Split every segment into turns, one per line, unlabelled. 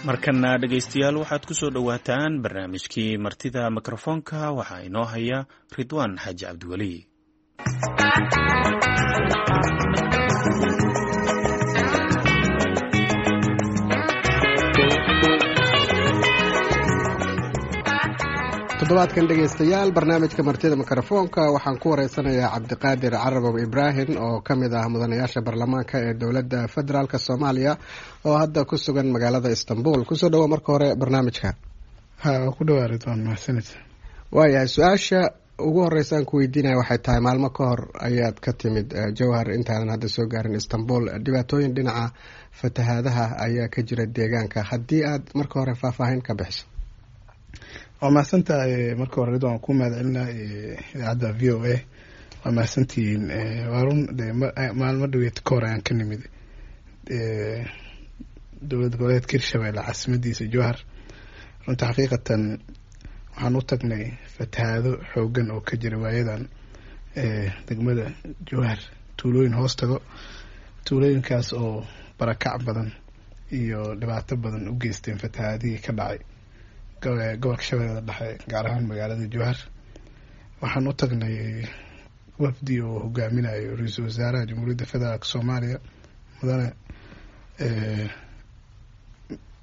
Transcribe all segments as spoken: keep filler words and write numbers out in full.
Markana dhegaystayaal, waxaad ku soo dhowaataan barnaamijkii Martida Mikrofoonka. Waxaa inoo haya Ridwaan Xaaji Cabdiweli.
Toddobaadkan dhegaystayaal, barnaamijka Martida Mikrofoonka waxaan ku wareysanayaa Cabdiqaadir Carabow Ibraahim oo ka mid ah mudanayaasha baarlamaanka ee dowladda federaalk Soomaaliya oo hadda ku sugan magaalada Istanbul. Kusoo dhawo marka hore barnaamijka.
Ha, ku dhawaa Ridwaan, mahadsanid.
Waayahay, su-aasha ugu horeysa aan ku weydiinaya waxay tahay, maalmo ka hor ayaad ka timid Jowhar intaadan hadda soo gaarin Istanbul. Dhibaatooyin dhinaca fatahaadaha ayaa ka jira deegaanka. Haddii aad marka hore faahfaahin ka bixiso.
Waa mahadsantahay. Marka hore Ridwaan, ku mahad celinaa idaacadda V O A, waa mahadsantihiin. Waa run, de maalmo dhaweed ka hor ayaan ka nimid dowlad goboleedka Hirshabelle, caasimadiisa Jowhar. Runta xaqiiqatan waxaan u tagnay fatahaado xoogan oo ka jira waayadan degmada Jowhar, tuulooyin hoos tago, tuulooyinkaas oo barakac badan iyo dhibaato badan u geysteen fatahaadihii ka dhacay gobolka Shabeellada Dhexe, gaar ahaan magaalada Jowhar. Waxaan u tagnay wafdi oo hogaaminayo ra-iisul wasaaraha Jamhuuriyadda Federaalk Soomaaliya, mudane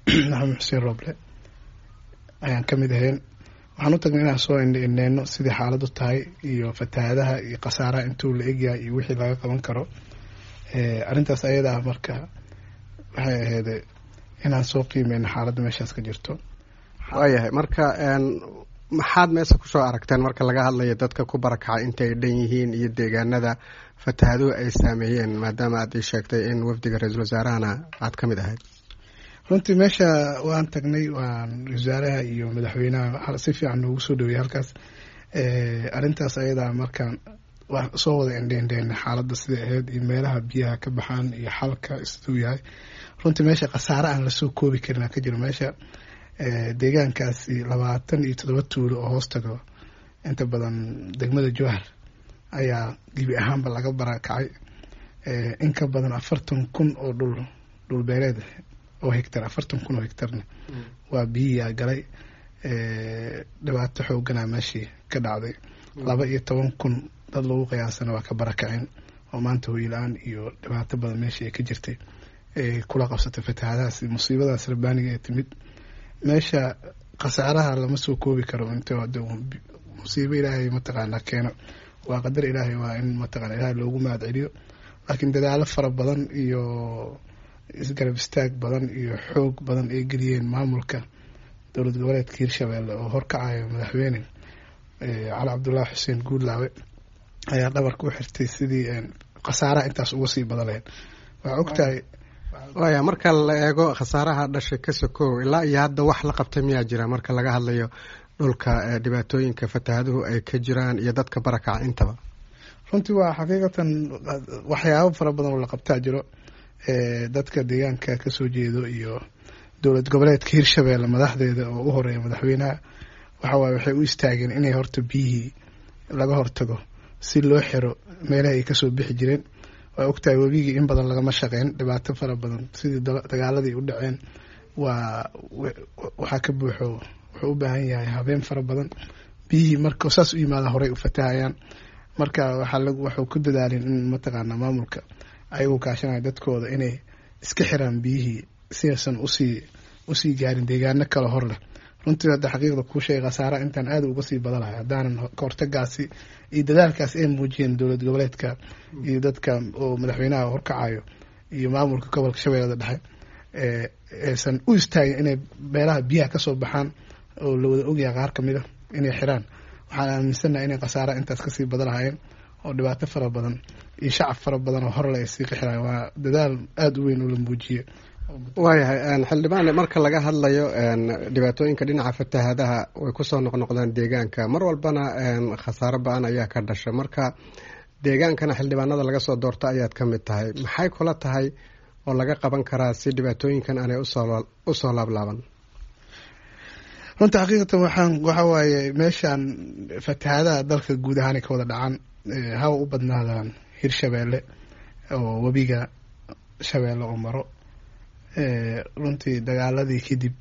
Maxamed Xuseen Roble ayaan ka mid ahayn. Waxaan u tagnay inaan soo indhindheyno sidii xaaladu tahay iyo fatahaadaha iyo khasaaraha intuu la egyahay iyo wixii laga qaban karo arrintaas ayada ah. Marka waxay ahayd inaan soo qiimeyno xaaladda meeshaas ka jirto.
Waayahay, marka maxaad meesha kusoo aragteen marka laga hadlayo dadka ku barakacay, intay dhan yihiin iyo deegaanada fatahaaduhu ay saameeyeen, maadaama aad ii sheegtay in wafdiga ra-iisul wasaarahana aad ka mid ahayd?
Runtii meesha waan tagnay, waan ra-isul wasaaraha iyo madaxweynaha si fiican noogu soo dhaweeyey halkaas. Arrintaas ayadaa markaan waan soo wada indheindheynay xaaladda siday ahayd iyo meelaha biyaha ka baxaan iyo xalka siduu yahay. Runtii meesha khasaare aan lasoo koobi karin ka jiro. Meesha deegaankaasi labaatan iyo toddoba tuulo oo hoos tago inta badan degmada Jowhar ayaa gebi ahaanba laga barakacay. In ka badan afartan kun oo dhul dhulbeereed oo hectar, afartan kun oo hectarna waa biyiyaa galay. Dhibaato xooganaa meeshii ka dhacday. Laba iyo toban kun dad lagu qiyaasana waa ka barakaceen oo maanta hoyla-aan iyo dhibaato badan meeshii ay ka jirtay ay kula qabsatay fatahaadahaas, musiibadaas rabbaaniga ee timid. Meesha khasaaraha lama soo koobi karo. Inta musiibo Ilaahay mataqaanaa keeno, waa qadar Ilaahay, waa in mataqana Ilaahay loogu mahad celiyo, laakiin dadaalo fara badan iyo isgarab istaag badan iyo xoog badan ay geliyeen maamulka dowlad goboleedka Hirshabelle oo horkacayo madaxweyne Cali Cabdullaahi Xuseen Guudlaawe ayaa dhabarka u xirtay sidii khasaaraha intaas uga sii badan lahayd. Waxaa ogtahay
Waya, marka la eego khasaaraha dhashay ka sokow, ilaa iyo hadda wax la qabtay miyaa jira marka laga hadlayo dhulka dhibaatooyinka fatahaaduhu ay ka jiraan iyo dadka barakaca intaba?
Runtii waa xaqiiqatan waxyaabo fara badan oo la qabtaa jiro. Dadka deegaanka kasoo jeedo iyo dowlad goboleedka Hirshabelle madaxdeeda oo u horeeya madaxweynaha waxa waaye waxay u istaageen inay horta biyihii laga hortago, si loo xiro meelaha ay kasoo bixi jireen. Waa ogtahay webigii in badan lagama shaqeyn, dhibaato fara badan sidii dagaaladii u dhaceen waa waxaa ka buuxo. Wuxuu u baahan yahay habeen fara badan. Biyihii marka saas u yimaada horey u fatahayaan. Marka waxaa waxuu ku dadaalin in mataqaanaa maamulka ayagoo kaashanaya dadkooda inay iska xiraan biyihii si aysan usii usii gaarin deegaano kale hor leh. Runtii hadda xaqiiqda kuu sheegay, khasaaraha intaan aada uga sii badan lahay haddaanan kahortagaasi iyo dadaalkaas ay muujiyeen dowlad goboleedka iyo dadka oo madaxweynaha horkacayo iyo maamulka gobolka Shabeellada Dhexe aysan u istaagin inay meelaha biyaha kasoo baxaan oo la wada ogyahay qaar kamid a inay xiraan, waxaan aaminsanahay inay khasaaraha intaas kasii badan lahaayeen oo dhibaato fara badan iyo shacab fara badan oo horle ay sii qixirayaan. Waa dadaal aada u weyn oo la muujiyey.
Waayahay xildhibaan, marka laga hadlayo dhibaatooyinka dhinaca fatahaadaha, way kusoo noqnoqdaan deegaanka mar walbana, khasaaro ba-an ayaa ka dhasha. Marka deegaankana xildhibaanada laga soo doorto ayaad ka mid tahay. Maxay kula tahay oo laga qaban karaa si dhibaatooyinkan aanay usoo usoo laablaaban?
Runta xaqiiqatan waxaan waxa waaye meeshaan fatahaadaha dalka guud ahaan ay ka wada dhacaan, hawa u badnaadaan Hirshabeelle oo webiga Shabeelle oo maro. Runtii dagaaladii kadib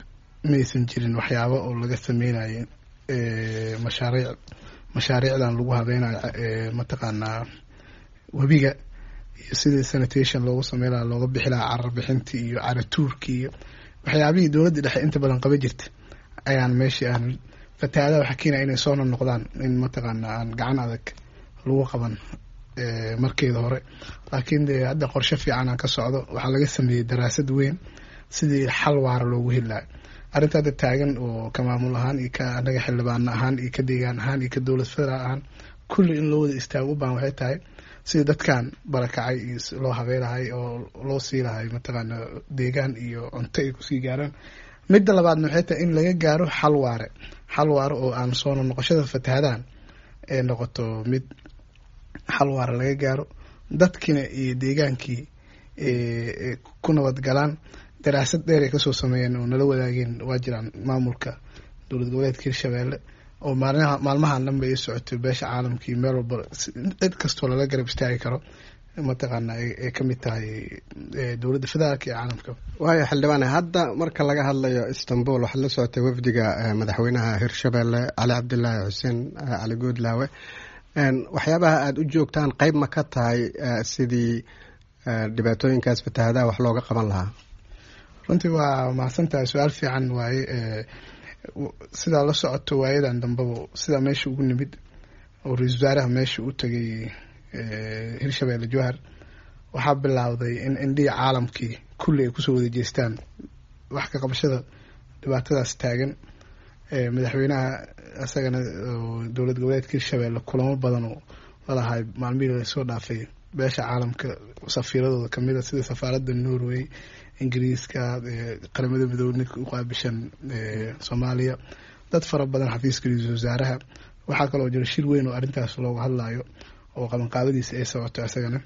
maysan jirin waxyaabo oo laga sameynayay mashaariic, mashaariicdan lagu habeynayo mataqaanaa webiga iyo sidii sanitation loogu sameyn lahaa, looga bixi lahaa carar bixintii iyo caratuurkii iyo waxyaabihii dowladda dhexe inta badan qaba jirta ayaan meeshii aan. Fatahaadaha waxaa keenaya inay soo noqnoqdaan in mataqaanaa aan gacan adag lagu qaban markeeda hore, laakiin dee hadda qorshe fiican aan ka socdo. Waxaa laga sameeyey daraasad weyn sidii xal waara loogu heli lahay arrinta hadda taagan, oo ka maamul ahaan iyo ka anaga xildhibaano ahaan iyo ka deegaan ahaan iyo ka dowlad federaal ahaan kulli in loo wada istaago u baahan. Waxay tahay sidii dadkan barakacay iyo loo habeylahay oo loo sii lahay mataqaana deegaan iyo cunto ay kusii gaaraan. Midda labaadna waxay tahay in laga gaaro xal waare, xal waare oo aan soo noqoshada fatahadahan ee noqoto mid xal waare laga gaaro, dadkiina iyo deegaankii ku nabad galaan. Daraasad dheer ay kasoo sameeyeen oo nala wadaageen waa jiraan maamulka dowlad goboleedka Hirshabeelle, oo maalinaha maalmahan dhan bay socotay beesha caalamkii meel walba cid kastoo lala garab istaagi karo mataqaana ay ka mid tahay dowladda federaalka iyo caalamka.
Waayo xildhibaane, hadda marka laga hadlayo Istanbul waxaad la socotay wafdiga madaxweynaha Hirshabeelle Cali Cabdilaahi Xuseen Cali Goodlaawe. Waxyaabaha aada u joogtaan qeyb ma ka tahay sidii dhibaatooyinkaas fatahadaha wax looga qaban lahaa?
Runtii waa mahadsan tahay, su-aal fiican waaye. Sidaa la socoto waayadan dambeba sidaa meesha ugu nimid oo ra-iisul wasaaraha meesha u tegay Hirshabeelle Jowhar, waxaa bilaawday in indhihii caalamkii kulli ay kusoo wada jeestaan wax ka qabashada dhibaatadaas taagan. Madaxweynaha isagana dowlad goboleedka Hirshabeelle kulamo badan oo lalahay maalmihii lasoo dhaafay beesha caalamka safiiradooda kamid a, sida safaaradda Norway, Ingiriiska, Qaramada Midoobey ninka u qaabishan Soomaaliya, dad fara badan, xafiiska ra-iisul wasaaraha. Waxaa kaloo jira shir weyn oo arrintaas looga hadlayo oo qabanqaabadiisa ay socoto. Isagana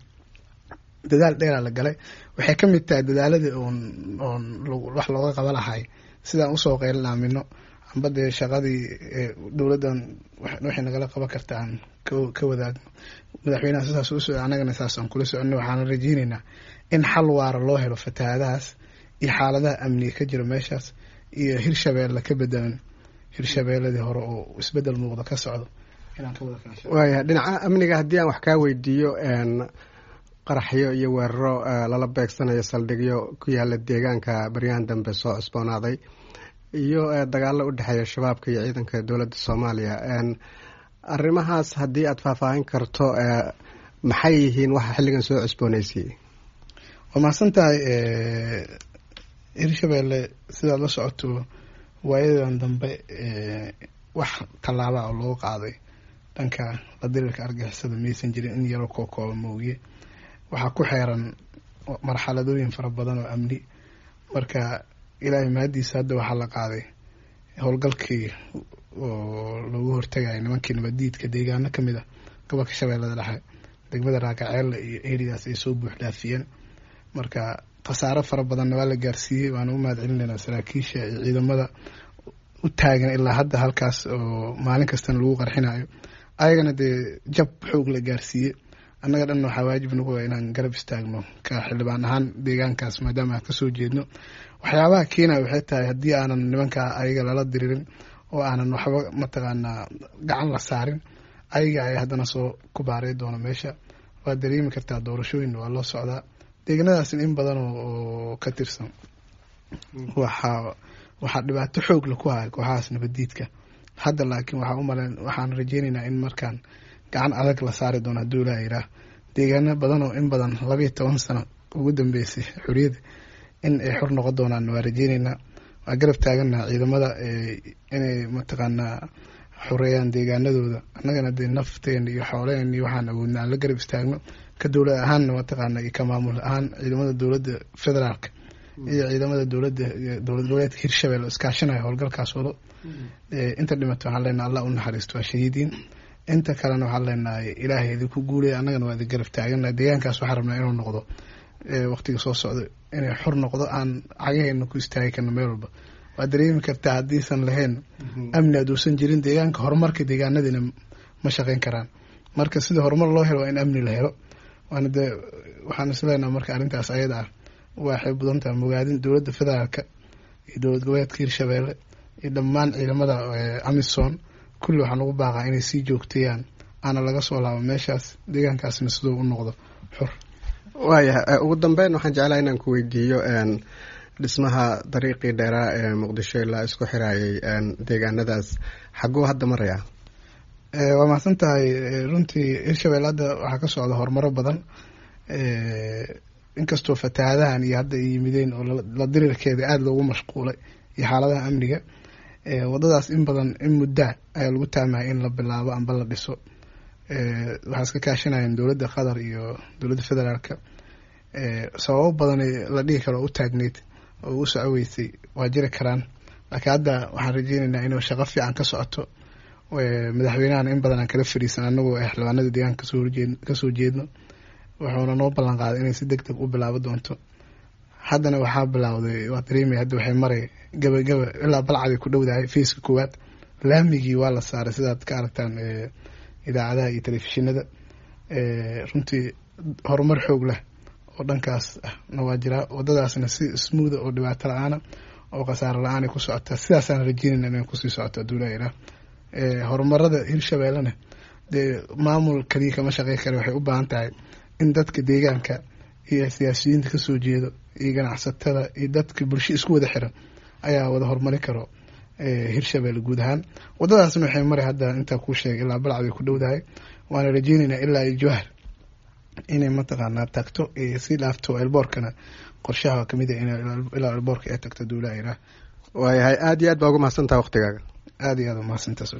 dadaal dheeraa la galay. Waxay ka mid tahay dadaaladii oon oon wax looga qaba lahay sidaan usoo qaylinamino amba dee shaqadii dowladdan waxay nagala qaban karta aan ka wadaagno. Madaxweynaha sidaas u socda, annagana saas aan kula soconno. Waxaana rajeyneynaa in xal waara loo helo fatahaadahaas iyo xaaladaha amniga ka jira meeshaas iyo Hirshabeelle ka bedelan Hirshabeelladii hore oo isbedel muuqda ka socdo inaan ka wada kaasho.
Waaya, dhinaca amniga haddii aan wax kaa weydiiyo, qaraxyo iyo weeraro lala beegsanayo saldhigyo ku yaala deegaanka baryahan dambe soo cusboonaaday iyo dagaalo u dhexeeya shabaabka iyo ciidanka dowladda Soomaaliya, arrimahaas haddii aada faahfaahin karto, maxay yihiin waxa xilligan soo cusboonaysiiyey?
Waa mahadsan tahay. Hirshabeelle sidaad la socoto waayadan dambe wax tallaabaa oo loogu qaaday dhanka la diriirka argixisada maysan jirin, in yaroo kookooba moogiye. Waxaa ku xeeran marxaladooyin fara badan oo amni. Marka Ilaahay mahadiisa hadda waxaa la qaaday howlgalkii oo loogu hortagaya nimankii nabadiidka deegaano kamid ah gobolka Shabeellada Dhexe, degmada Raakaceelle iyo eridaas ay soo buux dhaafiyeen. Marka khasaaro fara badanna waa la gaarsiiyey. Waana u mahad celinaynaa saraakiisha iyo ciidamada u taagan ilaa hadda halkaas oo maalin kastana lagu qarxinayo, ayagana dee jab xoog la gaarsiiyey. Annaga dhanna waxaa waajib nagu ah inaan garab istaagno ka xildhibaan ahaan deegaankaas maadaama aan kasoo jeedno. Waxyaabaha keenaya waxay tahay haddii aanan nimankaa ayaga lala diriirin oo aanan waxba mataqaanaa gacan la saarin, ayaga ay haddana soo ku baarey doono meesha. Waa dareemi kartaa, doorashooyin waa loo socdaa, deegaanadaasna in badan oo ka tirsan waxaa waxaa dhibaato xoog la ku haya kooxahaas nabadiidka hadda. Laakiin waxaa umalen waxaan rajeyneynaa in markaan gacan adag la saari doono hadduu Ilaah yiraah, deegaano badan oo in badan labayo toban sano ugu dambeysay xorriyadda in ay xor noqon doonaan waa rajeyneynaa. Waa garab taagannaha ciidamada inay mataqaanaa xoreeyaan deegaanadooda, annagana dee nafteena iyo xooleheen iyo waxaan awoodna aan la garab istaagno ka dowlad ahaanna mataqaana iyo ka maamul ahaan. Ciidamada dowladda federaalka iyo ciidamada dowladda dowlad goboleedka Hirshabelle oo iskaashanaya howlgalkaas wado. Inta dhimato waxaan leenahay Allah u naxariisto, waa shahiidiin. Inta kalena waxaan leenahay Ilaahay idinku guulaya, annagana waa idin garab taagana. Deegaankaas waxaan rabnaa inuu noqdo waqtiga soo socdo inay xor noqdo, aan cagaheena ku istaagi karno meel walba. Waa dareemi kartaa haddiisan lahayn amni, hadduusan jirin deegaanka, horumarka deegaanadiina ma shaqeyn karaan. Marka sida horumar loo helo waa in amni la helo. Waana dee waxaan isleenaha marka arrintaas ayada ah Waxay mudan tahay mogaadin dowladda federaalka iyo dowlad goboleedka Hirshabeelle iyo dhammaan ciidamada AMISOM. Kulli waxaan ugu baaqaa inay sii joogteeyaan, aana laga soo laabo meeshaas, deegaankaasna siduu u noqdo xur.
Waayahay, ugu dambeyn waxaan jeclaha inaan ku weydiiyo dhismaha dariiqii dheeraa ee Muqdisho ilaa isku xiraayay deegaanadaas, xaguu hadda marayaa?
Waa mahadsan tahay. Runtii Hirshabelle hadda waxaa ka socda horumaro badan, inkastoo fatahaadahan iyo hadda ay yimideen oo la diriirkeeda aada loogu mashquulay iyo xaaladaha amniga. Wadadaas in badan in muddaa ayaa lagu taamaya in la bilaabo amba la dhiso. Waxaa iska kaashanayeen dowladda Qatar iyo dowladda federaalka. Sababo badan la dhihi karo oo u taagneyd oo u socoweysay waa jiri karaan, laakiin hadda waxaan rajeyneynaa inuu shaqo fiican ka socoto. Madaxweynahana in badan aan kala fariisan anagoo xildhibaanada deegaanka kasoo horjeed kasoo jeedno, wuxuuna noo ballan qaaday inay si deg deg u bilaabo doonto. Haddana waxaa bilowday, waa dareemaya, hadda waxay maray gabagaba, ilaa Balcaday ku dhowdahay. Faceka koowaad laamigii waa la saaray, sidaad ka aragtaan idaacadaha iyo telefishinada. Runtii horumar xoog leh oo dhankaas ah na waa jiraa. Wadadaasna si smootha oo dhibaato la-aana oo khasaaro la-aanay ku socotaa, sidaasaan rajeynayna inay kusii socoto hadduu Ilaah. Horumarada Hirshabeellena dee maamul kaliya kama shaqey kara, waxay u baahan tahay in dadka deegaanka iyo siyaasiyiinta kasoo jeedo iyo ganacsatada iyo dadka bulsho isku wada xiran ayaa wada horumari karo Hirshabelle guud ahaan. Wadadaasna waxay maray hadda intaa kuu sheegay ilaa Balcad ay ku dhowdahay, waana rajeyneynaa ilaa iyo Jowhar inay mataqaanaa tagto iyo sii dhaafto elboorkana. Qorshaha kamid ah in ilaa elboorka ay tagto duulaha Ilaah.
Waayahay, aada iyo aad baa uga mahadsantaha waqtigaaga.
Aada iyo aada umahadsantaas.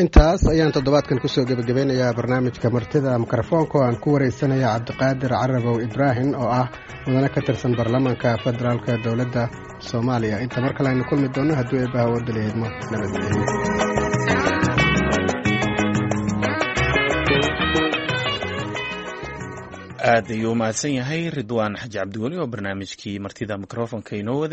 Intaas ayaan toddobaadkan kusoo gebagabeynayaa barnaamijka martida mikrofoonka oo aan ku wareysanaya Cabdiqaadir Carabow Ibraahim oo ah mudane ka tirsan baarlamaanka federaalka dowladda Soomaaliya. Inta mar kale aynu kulmi doono hadduu eebbaha wadaliidmo, nabadgelyo.
Aad ayuu umahadsan yahay Ridwaan Xaji Cabdiweli oo barnaamijkii martida mikrofonka inoo waday.